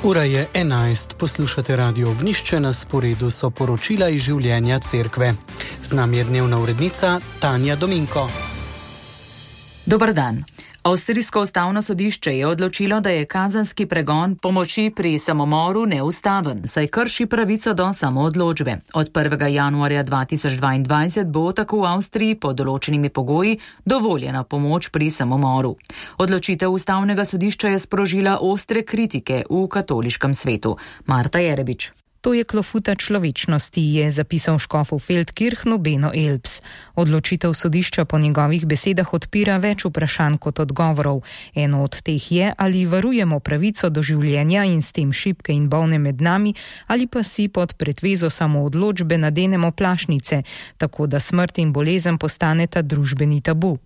Ura je 11, poslušate Radio Ognjišče, na sporedu so poročila iz življenja cerkve. Z nami je dnevna urednica Tanja Dominko. Dober dan. Avstrijsko ustavno sodišče je odločilo, da je kazenski pregon pomoči pri samomoru neustaven, saj krši pravico do samoodločbe. Od 1. januarja 2022 bo tako v Avstriji pod določenimi pogoji dovoljena pomoč pri samomoru. Odločitev ustavnega sodišča je sprožila ostre kritike v katoliškem svetu. Marta Jerebič. To je klofuta človečnosti, je zapisal škof v Feldkirchnu Beno Elbs. Odločitev sodišča po njegovih besedah odpira več vprašanj kot odgovorov. Eno od teh je, ali varujemo pravico do življenja in s tem šibke in bolne med nami, ali pa si pod pretvezo samoodločbe nadenemo plašnice, tako da smrt in bolezen postaneta družbeni tabu.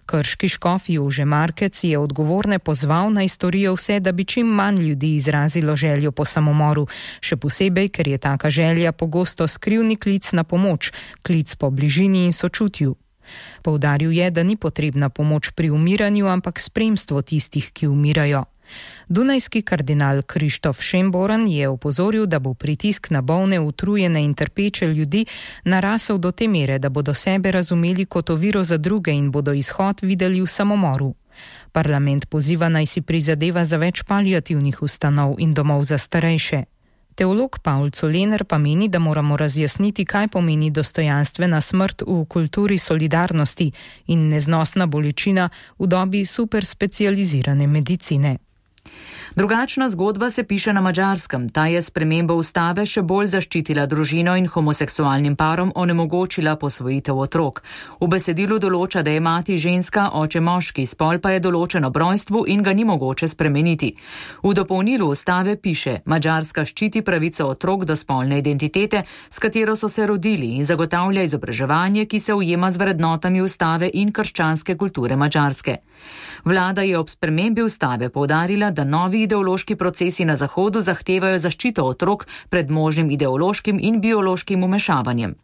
Krški škof Jože Markec je odgovorne pozval, naj storijo vse, da bi čim manj ljudi izrazilo željo po samomoru, še posebej, ker je taka želja pogosto skrivni klic na pomoč, klic po bližini in sočutju. Poudaril je, da ni potrebna pomoč pri umiranju, ampak spremstvo tistih, ki umirajo. Dunajski kardinal Krištof Šemboran je opozoril, da bo pritisk na bolne, utrujene in trpeče ljudi narasel do te mere, da bodo sebe razumeli kot oviro za druge in bodo izhod videli v samomoru. Parlament poziva, naj si prizadeva za več paliativnih ustanov in domov za starejše. Teolog Paul Colener pa meni, da moramo razjasniti, kaj pomeni dostojanstvena smrt v kulturi solidarnosti in neznosna bolečina v dobi superspecializirane medicine. Drugačna zgodba se piše na Madžarskem. Ta je spremembo ustave še bolj zaščitila družino in homoseksualnim parom onemogočila posvojitev otrok. V besedilu določa, da je mati ženska, oče moški, spol pa je določen ob rojstvu in ga ni mogoče spremeniti. V dopolnilu ustave piše: Madžarska ščiti pravico otrok do spolne identitete, s katero so se rodili, in zagotavlja izobraževanje, ki se ujema z vrednotami ustave in krščanske kulture Madžarske. Vlada je ob spremembi ustave poudarila, da novi ideološki procesi na Zahodu zahtevajo zaščito otrok pred možnim ideološkim in biološkim vmešavanjem.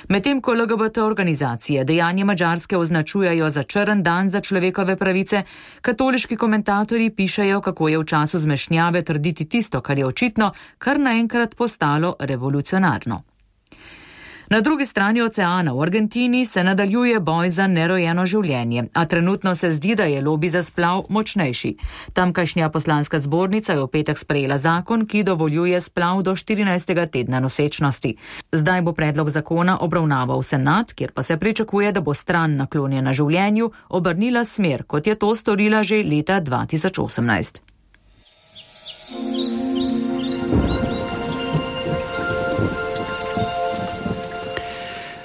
Medtem ko LGBT organizacije dejanje Madžarske označujejo za črn dan za človekove pravice, katoliški komentatorji pišejo, kako je v času zmešnjave trditi tisto, kar je očitno, kar naenkrat postalo revolucionarno. Na drugi strani oceana v Argentini se nadaljuje boj za nerojeno življenje, a trenutno se zdi, da je lobi za splav močnejši. Tamkajšnja poslanska zbornica je v petek sprejela zakon, ki dovoljuje splav do 14. tedna nosečnosti. Zdaj bo predlog zakona obravnaval senat, kjer pa se pričakuje, da bo stran naklonjena življenju obrnila smer, kot je to storila že leta 2018.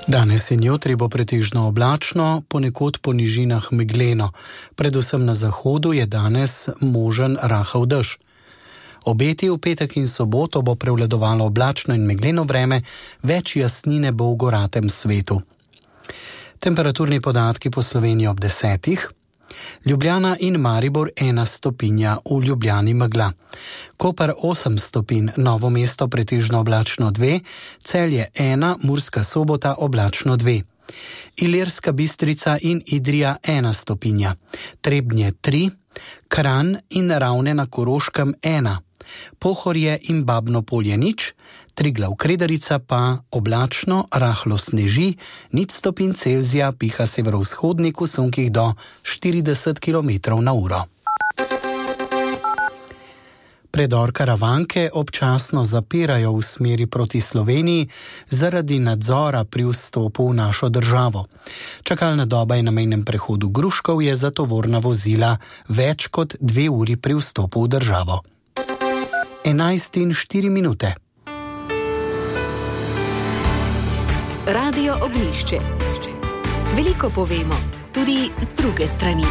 Danes in jutri bo pretežno oblačno, ponekod po nižinah megleno. Predvsem na zahodu je danes možen rahel dež. Obeti v petek in soboto bo prevladovalo oblačno in megleno vreme, več jasnine bo v goratem svetu. Temperaturni podatki po Sloveniji ob 10. Ljubljana in Maribor 1 stopinja, v Ljubljani megla. Koper 8 stopinj, Novo mesto pretežno oblačno 2, Celje 1, Murska Sobota oblačno 2. Ilirska Bistrica in Idrija 1 stopinja, Trebnje 3, Kranj in Ravne na Koroškem 1, Pohorje in Babno Polje 0, Triglav Kredarica pa oblačno, rahlo sneži, 0 stopinj Celzija, piha severovzhodnik v sunkih do 40 km/h. Predor Karavanke občasno zapirajo v smeri proti Sloveniji zaradi nadzora pri vstopu v našo državo. Čakalna doba je na mejnem prehodu Gruškov je za tovorna vozila več kot 2 uri pri vstopu v državo. 11:04. Radio Ognjišče. Veliko povemo, tudi z druge strani.